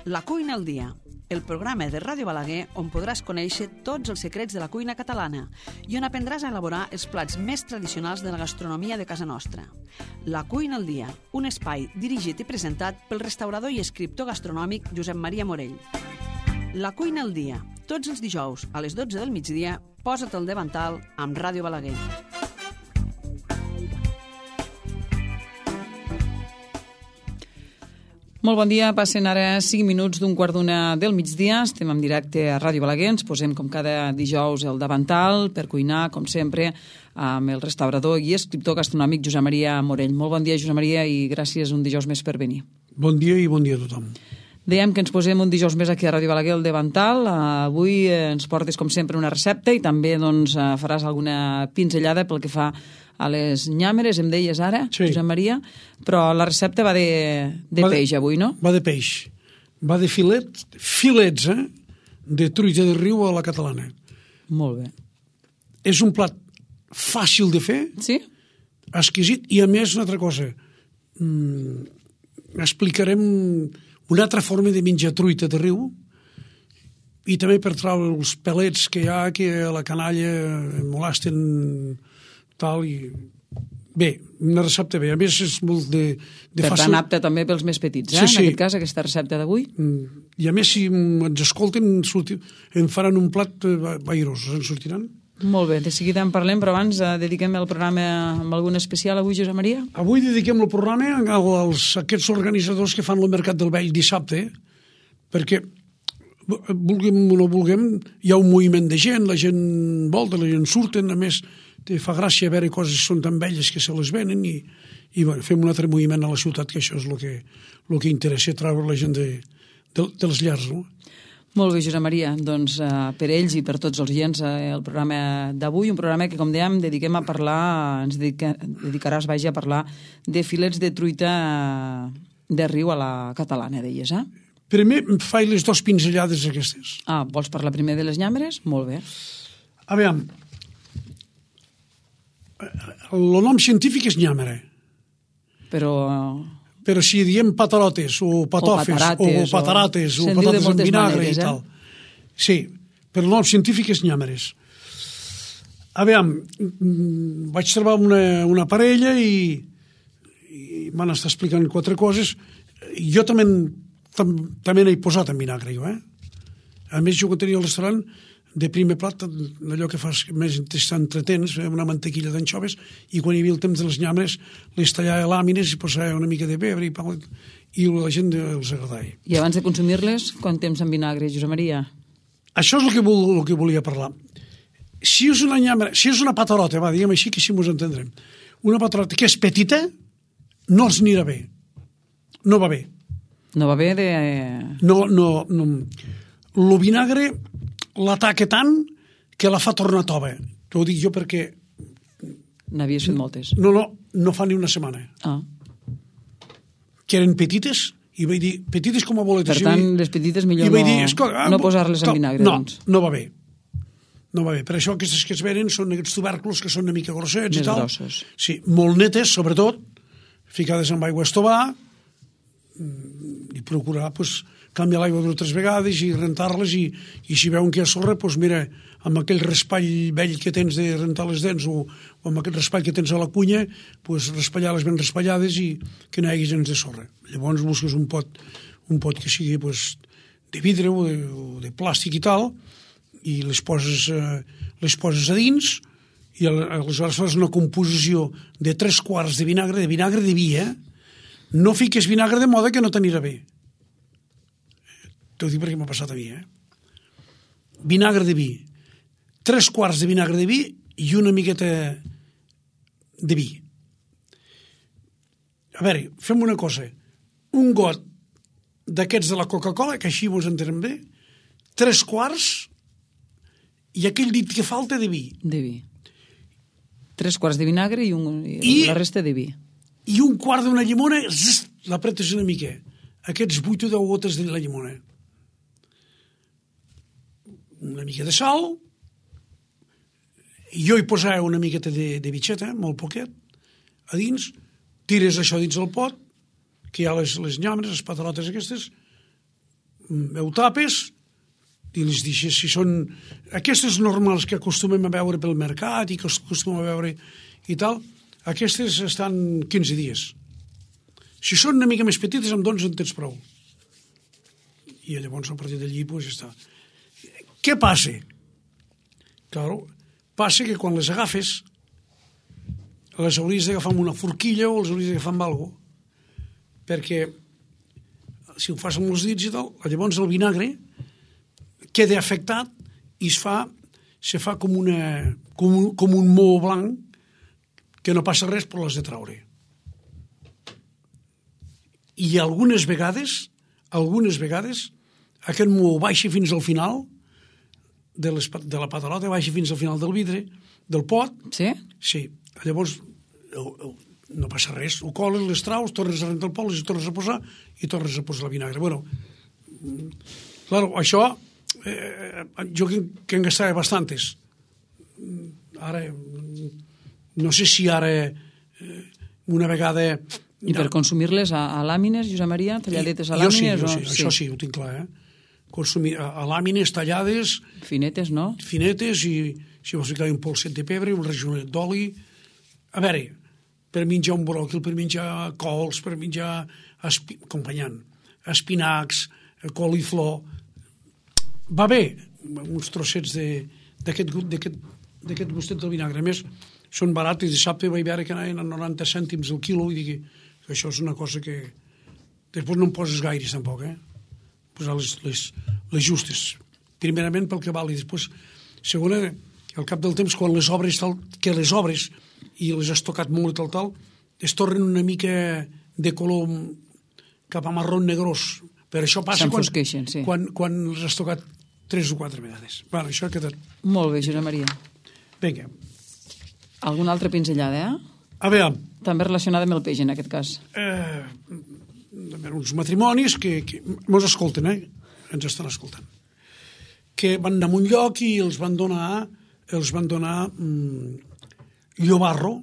La cuina al dia, el programa de Ràdio Balaguer on podràs conèixer tots els secrets de la cuina catalana i on aprendràs a elaborar els plats més tradicionals de la gastronomia de casa nostra. La cuina al dia, un espai dirigit i presentat pel restaurador i escriptor gastronòmic Josep Maria Morell. La cuina al dia, tots els dijous a les 12 del migdia, posa't al davantal amb Ràdio Balaguer. Molt bon dia, passen ara 5 minuts d'un quart d'una del migdia. Estem en directe a Ràdio Balaguer, ens posem com cada dijous al davantal per cuinar, com sempre, amb el restaurador i escriptor gastronòmic Josep Maria Morell. Molt bon dia, Josep Maria, i gràcies un dijous més per venir. Bon dia i bon dia a tothom. Dèiem que ens posem un dijous més aquí a Ràdio Balaguer al davantal. Avui ens portes, com sempre, una recepta i també faràs alguna pinzellada pel que fa a les nyàmeres, em deies ara, sí. Josep Maria, però la recepta va de peix avui, no? Va de peix. Va de filets, de truita de riu a la catalana. Molt bé. És un plat fàcil de fer, sí? Exquisit, i a més una altra cosa. Explicarem una altra forma de menjar truita de riu i també per treure els pelets que hi ha, que a la canalla molesten tal i... Bé, una recepta bé. A més, és molt de per fàcil... tant, apta també pels més petits, sí, en aquest cas, aquesta recepta d'avui. I a més, si ens escolten, em faran un plat vairós, ens sortiran. Molt bé, de seguida en parlem, però abans dediquem el programa amb algun especial avui, Josep Maria? Avui dediquem el programa a aquests organitzadors que fan el Mercat del Vell dissabte, perquè, vulguem o no vulguem, hi ha un moviment de gent, la gent volta, la gent surten, a més, fa gràcia veure coses que són tan velles que se les venen i bueno, fem un altre moviment a la ciutat, que això és el que interessa, treure la gent de les llars, no? Molt bé, Josep Maria. Doncs per ells i per tots els oients el programa d'avui, un programa que, com dèiem, dediquem a parlar, ens dedicaràs, a parlar de filets de truita de riu a la catalana, deies, eh? Primer faig les 2 pinzellades aquestes. Vols parlar primer de les nyàmeres? Molt bé. A veure, el nom científic és nyàmera. Però si diem patarotes o patofes o patarates o patates en vinagre i tal. Sí, però el nom científic és nyàmeres. A veure, vaig trobar una parella i m'han estat explicant 4 coses. Jo també n'he posat en vinagre, jo, A més, jo quan tenia el restaurant, de primer plat, allò que fas més entretens, una mantequilla d'anxoves, i quan hi havia el temps de les nyàmeres, les tallava a làmines i posava una mica de pebre i la gent els agradava. I abans de consumir-les, quant temps en vinagre, Josep Maria? Això és el que volia parlar. Si és una nyàmera, si és una patarota, diguem així, que així ens entendrem, una patarota que és petita, no els anirà bé. No va bé. No va bé de... No. El vinagre l'ataca tant que la fa tornar tova. T'ho dic jo perquè... N'havies fet moltes. No fa ni una setmana. Que eren petites, i vaig dir, petites com a boletes. Per tant, les petites millor no posar-les en vinagre. No va bé. No va bé. Per això aquestes que es venen són aquests tubèrculs que són una mica grossets i tal. Més grossos. Sí, molt netes, sobretot, ficades amb aigua a estovar, i procurar, canviar l'aigua 2 o 3 vegades i rentar-les, i si veuen que hi ha sorra, mira, amb aquell raspall vell que tens de rentar les dents o amb aquest raspall que tens a la cunya, raspallar-les ben raspallades i que no hi hagi gens de sorra. Llavors busques un pot que sigui de vidre o de plàstic i tal, i les poses a dins, i aleshores fas una composició de 3 quarts de vinagre de vi, No fiques vinagre de moda que no t'anirà bé. T'ho dic perquè m'ha passat a mi, Vinagre de vi. 3 quarts de vinagre de vi i una miqueta de vi. A veure, fem una cosa. Un got d'aquests de la Coca-Cola, que així mos entenem bé, 3 quarts i aquell dit que falta de vi. De vi. 3 quarts de vinagre i la resta de vi. I un quart d'una llimona, l'apretes una mica. Aquests 8 o 10 gotes de la llimona. Una mica de sal, jo hi posava una miqueta de bitxeta, molt poquet, a dins, tires això dins el pot, que hi ha les nyàmeres, les patarotes aquestes, ho tapes i les deixes, si són aquestes normals que acostumem a veure pel mercat i que acostumem a veure i tal, aquestes estan 15 dies. Si són una mica més petites, amb 12 en tens prou. I llavors, a partir d'allí, doncs, ja està. Què passa? Claro, passa que quan les agafes, les hauries d'agafar amb una forquilla o les hauries d'agafar amb alguna cosa, perquè si ho fas amb els dits i tal, llavors el vinagre queda afectat i se fa com un moho blanc que no passa res però l'has de traure. I algunes vegades aquest moho baixa fins al final de la patalota, baixa fins al final del vidre, del pot. Sí? Sí. Llavors no passa res, ho coles, les traus, tornes a rentar el pot, les tornes a posar i tornes a posar el vinagre. Bueno, claro, això jo que en gastava bastantes. Ara, no sé si ara una vegada... I per consumir-les a làmines, Josep Maria, talladetes a làmines? Jo sí, això sí, ho tinc clar, consumir a làmines tallades... Finetes, no? Finetes, i si vols ficar un polset de pebre, un rajollet d'oli... A veure, per menjar un bròquil, per menjar cols, per menjar acompanyant, espinacs, coliflor... Va bé, uns trossets d'aquest gustet del vinagre. A més, són barats, i dissabte vaig veure que anaven a 90 cèntims el quilo, i dic que això és una cosa que... Després no em poses gaires, tampoc, posar les justes. Primerament pel que val, i després, segona, al cap del temps, quan les obres, i les has tocat molt i tal, es tornen una mica de color cap a marró negrós. Per això passa quan les has tocat 3 o 4 vegades. Bueno, això ha quedat... Molt bé, Josep Maria. Vinga. Alguna altra pinzellada, A veure... També relacionada amb el peix, en aquest cas. Uns matrimonis que mos escolten, ens estan escoltant, que van anar a un lloc i els van donar llobarro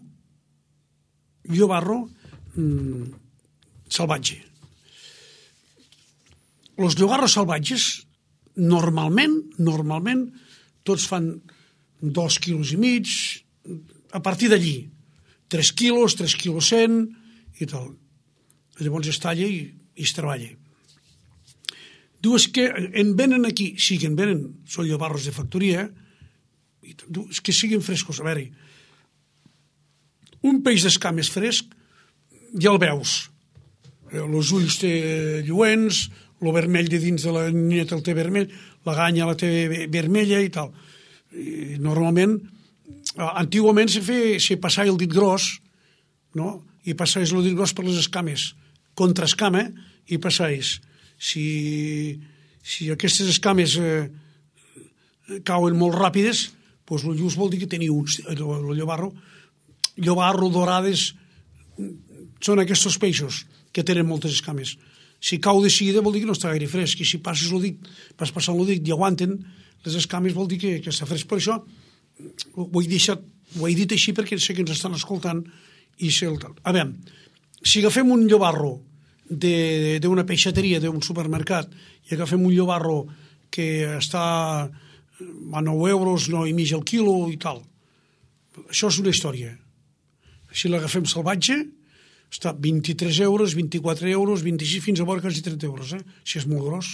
salvatge. Els llobarros salvatges normalment tots fan 2 quilos i mig, a partir d'allí 3 quilos, 3 quilos 100 i tal. Llavors es talla i es treballa. Dues que en venen aquí, sí que en venen, són llobarros de factoria, que siguin frescos. A veure, un peix d'escames fresc ja el veus. Els ulls té lluents, el vermell de dins de la nineta el té vermell, la ganya la té vermella i tal. I normalment, antigament se passava el dit gros, no? I passaves el dit gros per les escames, contra escama, i passaves. Si aquestes escames cauen molt ràpides, doncs el lluç vol dir que teniu el llobarro dorades, són aquests peixos que tenen moltes escames. Si cau de seguida vol dir que no està gaire fresc, i si passes el dit, vas passant el dit i aguanten les escames vol dir que està fresc. Per això ho he dit així perquè sé que ens estan escoltant i sé el tal. A veure, si agafem un llobarro d'una peixateria, d'un supermercat, i agafem un llobarro que està a 9 euros, 9,5 el quilo i tal, això és una història. Si l'agafem salvatge, està 23 euros, 24 euros, 26, fins a vora quasi 30 euros, si és molt gros.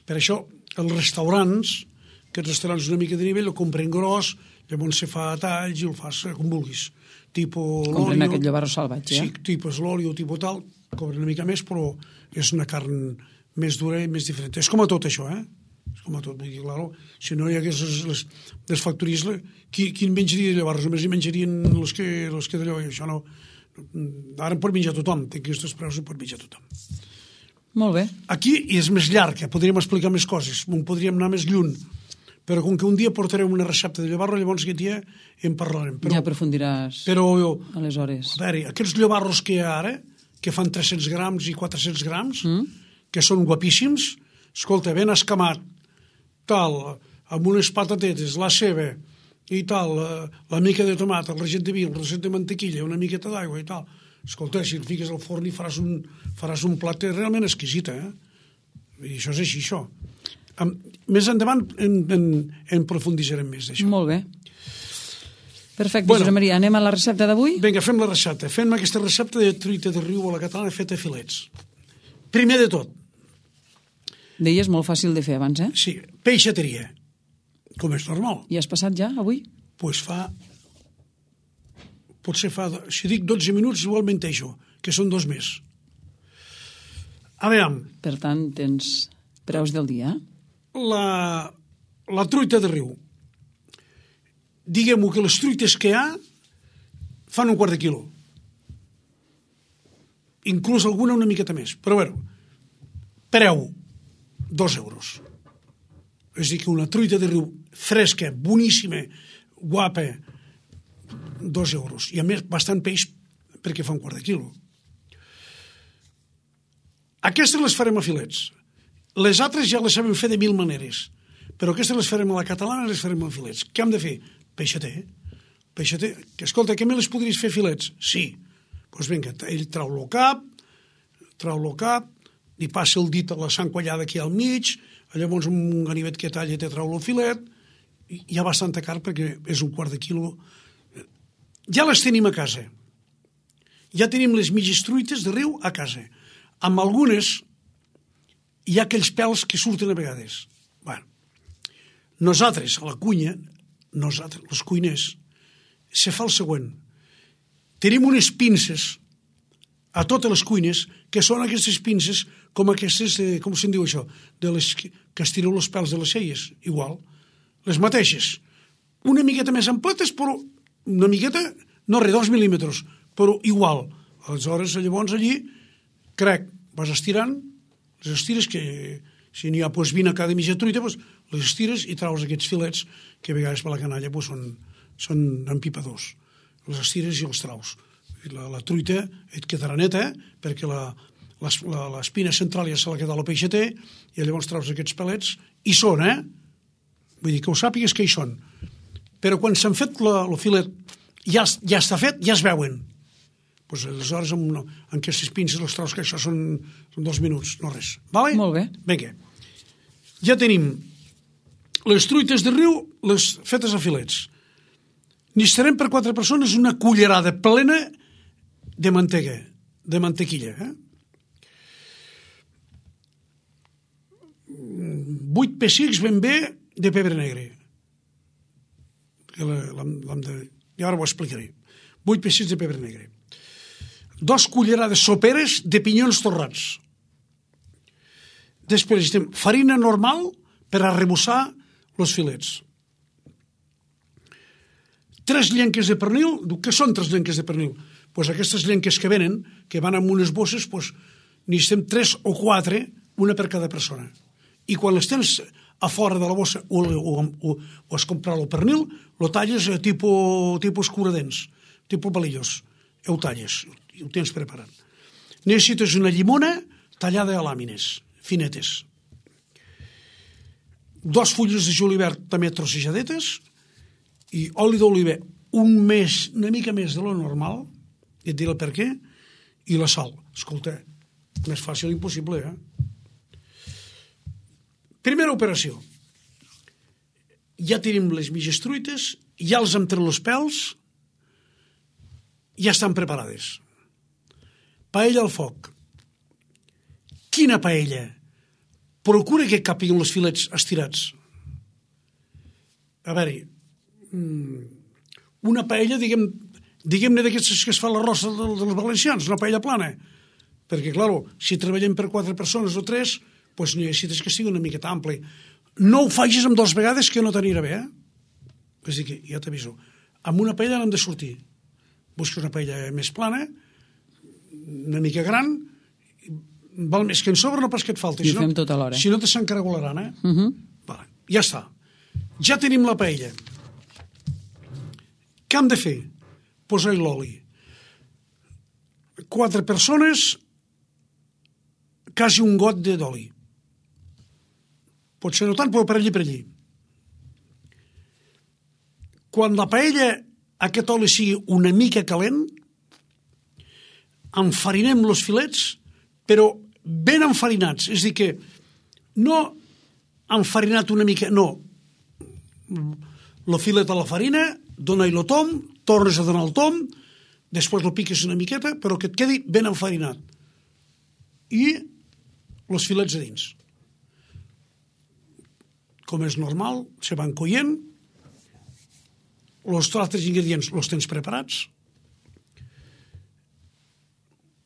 Per això, els restaurants, aquests restaurants una mica de nivell, el compren gros, llavors se fa a talls i el fas com vulguis. Compren aquest llobarro salvatge, Sí, tipus l'oli o tipus tal, cobren una mica més, però és una carn més dura i més diferent. És com a tot això, És com a tot. Vull dir, claro, si no hi hagués les factories, qui menjaria de llobarros? Només hi menjarien els que d'allò, i això no... Ara en pot menjar tothom, té aquests preus i pot menjar tothom. Molt bé. Aquí és més llarg, podríem explicar més coses, podríem anar més lluny, però com que un dia portarem una recepta de llobarro, llavors aquest dia en parlarem. Ja aprofundiràs aleshores. A veure, aquests llobarros que hi ha ara, que fan 300 grams i 400 grams, que són guapíssims, escolta, ben escamat, tal, amb unes patatetes, la ceba i tal, la mica de tomat, el ragent de vi, el ragent de mantequilla, una miqueta d'aigua i tal. Escolta, si el fiques al forn i faràs un plat realment exquisit, I això és així, això. Més endavant en profunditzarem més d'això. Molt bé. Perfecte, Josep Maria. Anem a la recepta d'avui? Vinga, fem la recepta. Fem aquesta recepta de truita de riu a la catalana feta a filets. Primer de tot. Deies molt fàcil de fer abans, eh? Sí, peixateria, com és normal. I has passat ja, avui? Doncs potser fa, si dic 12 minuts, igual menteixo, que són 2 més. A veure... Per tant, tens preus del dia? La truita de riu. Diguem-ho que les truites que hi ha fan un quart de quilo. Inclús alguna una miqueta més. Però bé, preu 2 euros. És a dir, que una truita de riu fresca, boníssima, guapa, 2 euros. I a més, bastant peix perquè fa un quart de quilo. Aquestes les farem a filets. Les altres ja les sabem fer de 1000 maneres. Però aquestes les farem a la catalana i les farem a filets. Què hem de fer? Peixater. Peixater. Que, escolta, que me les podries fer filets? Sí. Doncs vinga, ell trau el cap, li passa el dit a la sang quallada aquí al mig, llavors un ganivet que talla te trau el filet, i hi ha bastanta carn perquè és un quart de quilo. Ja les tenim a casa. Ja tenim les mitges truites de riu a casa. Amb algunes hi ha aquells pèls que surten a vegades. Bueno, nosaltres, a la cuina, nosaltres, els cuiners, se fa el següent. Tenim unes pinces a totes les cuines, que són aquestes pinces com aquestes, com se'n diu això, de les que estireu els pèls de les celles, igual, les mateixes. Una miqueta més ampletes, però una miqueta, no res, 2 mil·límetres, però igual. Aleshores, llavors allí, crec, vas estirant, les estires que, si n'hi ha 20 a cada mitja truita, les estires i traus aquests filets que a vegades per la canalla són empipadors. Les estires i els traus. La truita et quedarà neta perquè l'espina central ja se l'ha quedat al peixater i llavors traus aquests pelets i són, Vull dir que ho sàpigues que hi són. Però quan s'han fet el filet ja està fet, ja es veuen. Doncs aleshores amb aquestes pinces els traus, que això són 2 minuts, no res. Vale? Molt bé. Vinga. Ja tenim les truites de riu, les fetes a filets. Necessitarem per 4 persones una cullerada plena de mantega, de mantequilla. 8 pessics ben bé de pebre negre. I ara ho explicaré. 8 pessics de pebre negre. 2 cullerades soperes de pinyons torrats. Després necessitem farina normal per arrebossar els filets. 3 llenques de pernil. Què són 3 llenques de pernil? Doncs aquestes llenques que venen, que van amb unes bosses, necessitem 3 o 4, una per cada persona. I quan les tens a fora de la bossa o has comprat el pernil, lo talles tipus curadents, tipus palillos. Ho talles i ho tens preparat. Necessites una llimona tallada a làmines, finetes. 2 fulles de julivert també trossejadetes i oli d'oliva una mica més de lo normal, i et diré el per què, i la sal. Escolta, més fàcil impossible, Primera operació. Ja tenim les mitges truites, ja els hem tret els pèls, ja estan preparades. Paella al foc. Quina paella? Procura que capiguin els filets estirats. A veure, una paella, diguem-ne d'aquestes que es fa l'arròs dels valencians, una paella plana. Perquè, clar, si treballem per 4 persones o 3, doncs necessites que sigui una miqueta ampli. No ho facis amb 2 vegades, que no t'anirà bé, És a dir, que ja t'aviso. Amb una paella n'hem de sortir. Busques una paella més plana, una mica gran, val més que en sobre, no pas que et falti. I ho fem tot alhora. Si no te s'encaragolaran, Vale, ja està. Ja tenim la paella. Què hem de fer? Posar-hi l'oli. 4 persones, quasi un got d'oli. Pot ser no tant, però per allí. Quan la paella, aquest oli sigui una mica calent, enfarinem els filets, però ben enfarinats. És a dir que no enfarinat una mica, no. Lo filet a la farina, dona-hi el tom, tornes a donar el tom, després lo piques una miqueta, però que et quedi ben enfarinat. I els filets a dins. Com és normal, se van coient, els altres ingredients els tens preparats.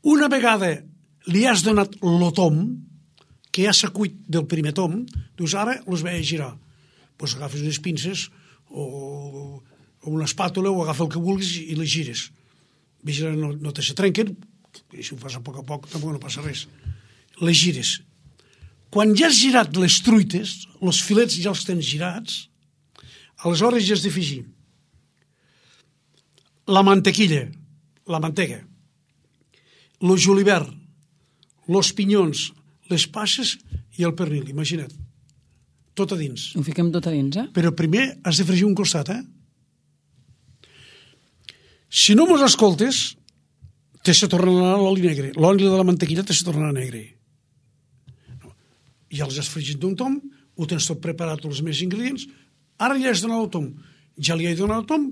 Una vegada li has donat el tom, que ja s'ha cuit del primer tom, dius, ara els vaig a girar. Doncs agafes unes pinces o una espàtula o agafa el que vulguis i les gires. Vigila, no te se trenquen, i si ho fas a poc, tampoc no passa res. Les gires. Quan ja has girat les truites, els filets ja els tens girats, aleshores ja has d'afegir la mantequilla, la mantega, el julivert, els pinyons, les passes i el pernil, imagina't. Tot a dins. Ho fiquem tot a dins, Però primer has de fregir un costat, Si no mos escoltes, te se tornarà l'oli negre. L'oli de la mantequilla te se tornarà negre. Ja els has fregit d'un tom, ho tens tot preparat, els més ingredients, ara ja has donat el tom. Ja li he donat el tom,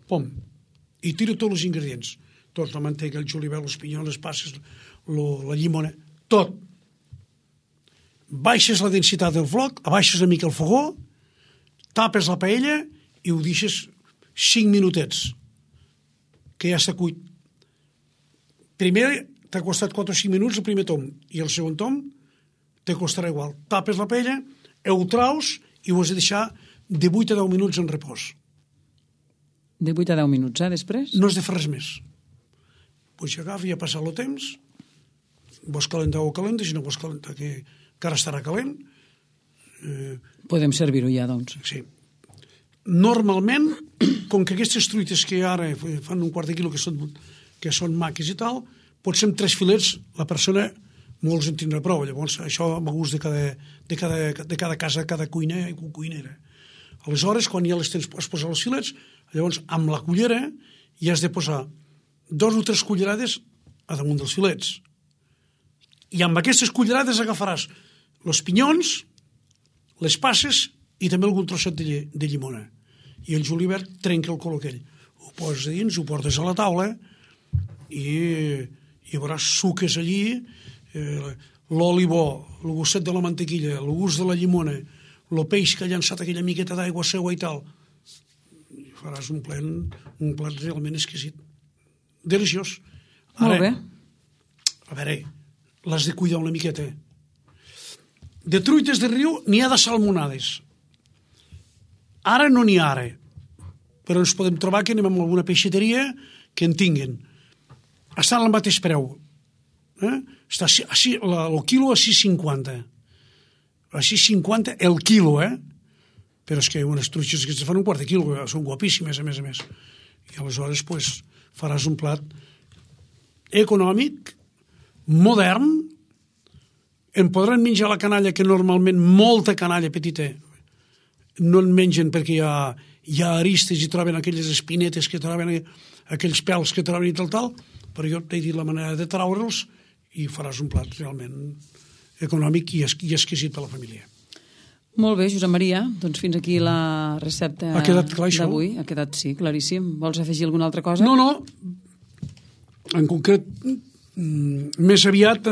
pom, i tiro tots els ingredients. Tot, la mantega, el julivert, els pinyons, les passes, la llimona, tot. Baixes la densitat del floc, abaixes una mica el fogó, tapes la paella i ho deixes 5 minutets, que ja s'ha cuit. Primer t'ha costat 4 o 5 minuts el primer tom, i el segon tom te costarà igual. Tapes la paella, ho traus i ho has de deixar de 8 a 10 minuts en repòs. De 8 a 10 minuts, després? No has de fer res més. Pues ja agafa, ja ha passat el temps, vols calentar o calenta, si no vols calentar, que ara estarà calent. Podem servir-ho ja, doncs. Sí. Normalment, com que aquestes truites que ara fan un quart de quilo que són maques i tal, potser amb 3 filets la persona molts en tindrà prou. Llavors, això va a gust de cada casa, cada cuina i cuinera. Aleshores, quan ja les tens, has posat els filets, llavors amb la cullera ja has de posar 2 o 3 cullerades a damunt dels filets. I amb aquestes cullerades agafaràs els pinyons, les passes i també algun trosset de llimona. I el julivert trenca el color aquell. Ho poses a dins, ho portes a la taula i veuràs suques allí, l'oli bo, el gustet de la mantequilla, el gust de la llimona, el peix que ha llançat aquella miqueta d'aigua seua i tal. I faràs un plat realment exquisit. Deliciós. Molt bé. A veure, l'has de cuidar una miqueta. De truites de riu n'hi ha de salmonades. Ara no n'hi ha ara, però ens podem trobar que anem a alguna peixateria que en tinguin. Estan al mateix preu. Està el quilo a 6,50. A 6,50 el quilo, Però és que unes truixes que es fan un quart de quilo, són guapíssimes, a més. I aleshores, faràs un plat econòmic, modern, en podran menjar la canalla, que normalment molta canalla petita no en mengen perquè hi ha aristes i troben aquelles espinetes que troben, aquells pèls que troben i tal, però jo t'he dit la manera de traure'ls i faràs un plat realment econòmic i exquisit per a la família. Molt bé, Josep Maria, doncs fins aquí la recepta d'avui. Ha quedat, sí, claríssim. Vols afegir alguna altra cosa? No. En concret, més aviat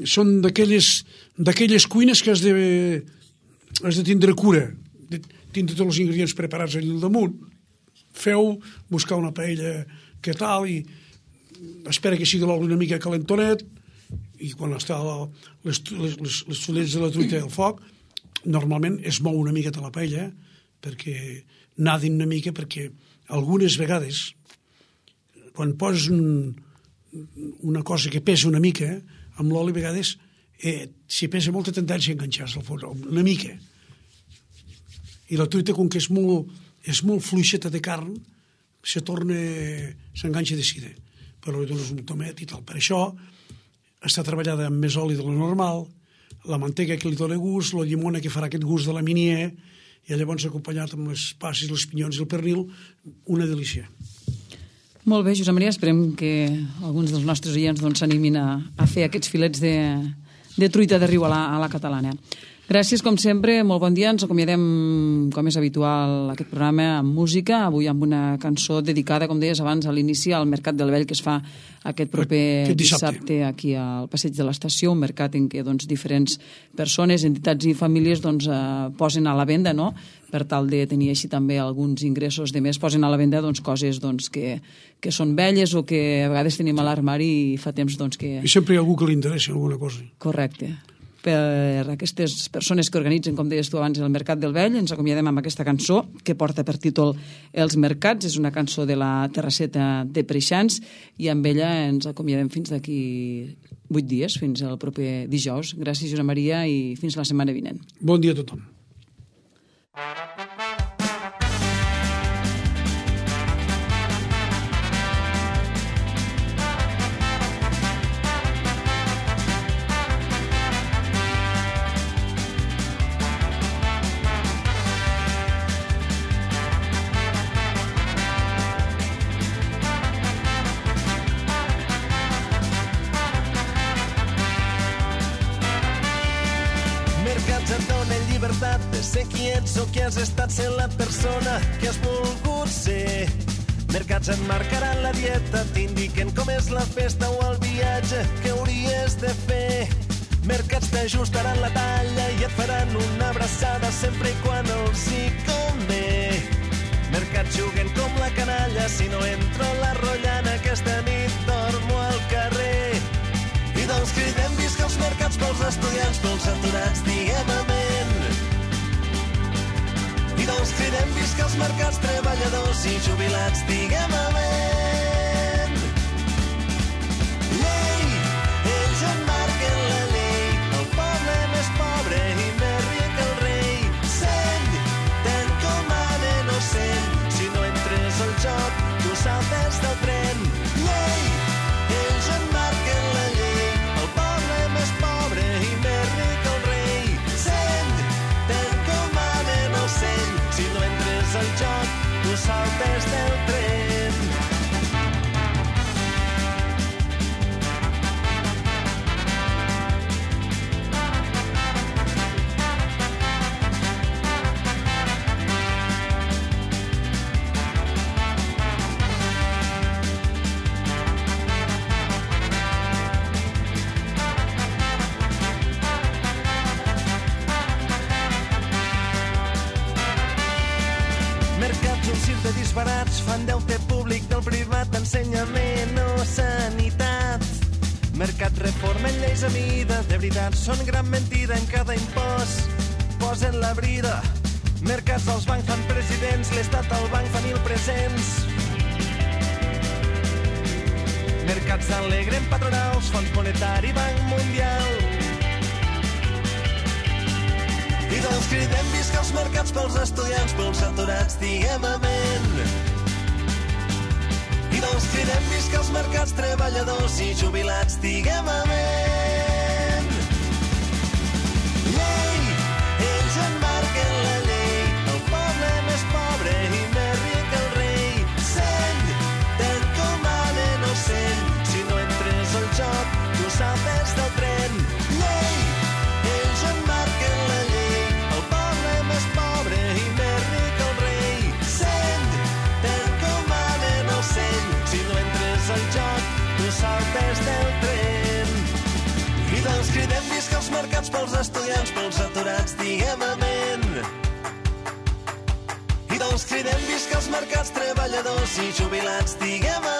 són d'aquelles cuines que has de tindre cura, de tindre tots els ingredients preparats allà al damunt. Buscar una paella que tal, i espera que sigui l'oli una mica calentonet, i quan està les fulles de la truita al foc, normalment es mou una miqueta la paella, perquè nadin una mica, perquè algunes vegades, quan poses una cosa que pesa una mica, amb l'oli a vegades, si pesa molta tendència a enganxar-se al forn, una mica. I la truita, com que és molt fluixeta de carn, s'enganxa de seguida. Però li dones un tomet i tal. Per això està treballada amb més oli de lo normal, la mantega que li dona gust, la llimona que farà aquest gust de la minier, i llavors acompanyat amb les passes, els pinyons i el pernil, una delícia. Molt bé, Josep Maria, esperem que alguns dels nostres oients s'animin a fer aquests filets de truita de riu a la catalana. Gràcies, com sempre, molt bon dia. Ens acomiadem, com és habitual, aquest programa amb música, avui amb una cançó dedicada, com deies abans, a l'inici al Mercat del Vell, que es fa aquest proper dissabte aquí al Passeig de l'Estació, un mercat en què diferents persones, entitats i famílies posen a la venda, no?, per tal de tenir així també alguns ingressos de més, posen a la venda coses que són velles o que a vegades tenim a l'armari i fa temps que... I sempre hi ha algú que li interessa alguna cosa. Correcte. Per aquestes persones que organitzen, com deies tu abans, el Mercat del Vell, ens acomiadem amb aquesta cançó que porta per títol Els Mercats. És una cançó de la Terrasseta de Preixans i amb ella ens acomiadem fins d'aquí 8 dies, fins al proper dijous. Gràcies, Josep Maria, i fins la setmana vinent. Bon dia a tothom. De ser qui ets o qui has estat sent la persona que has volgut ser. Mercats et marcaran la dieta, t'indiquen com és la festa o el viatge que hauries de fer. Mercats t'ajustaran la talla i et faran una abraçada sempre i quan els hi convé. Mercats juguen com la canalla, si no entro a la rotllana aquesta nit dormo al carrer. I doncs cridem visca els mercats pels estudiants, pels aturats, diguem amén. I doncs cridem visca els mercats treballadors i jubilats, diguem amén. Llei, ells en marquen la llei, el poble més pobre i més ric el rei. Seny, ten com manen o seny, si no entres al joc, tu saltes del tren. Llei, ells en marquen la llei, el poble més pobre i més ric el rei. Seny, ten com manen o seny, si no entres al joc, tu saltes del tren. De disbarats fan deute públic del privat, ensenyament o sanitat. Mercat reformen lleis a mida, de veritat són gran mentida en cada impost. Posen la brida, mercats els bancs fan presidents, l'estat al banc fan mil presents. Mercats alegren patronals, Fons Monetari, Banc Mundial. I doncs cridem visca els mercats pels estudiants, pels aturats, diguem amén. I doncs cridem visca els mercats treballadors i jubilats, diguem amén. Llei, ells en marquen la llei, el poble més pobre i més ric el rei. Seny, ten com manen o seny, si no entres al joc, tu saltes del tren. Llei, ells en marquen la llei, més pobre i més ric el rei. Seny, ten com manen o seny, si no entres al joc, tu saltes del tren. I doncs cridem visca els mercats pels estudiants, pels aturats, diguem amén. I doncs cridem visca els mercats treballadors i jubilats, diguem amén.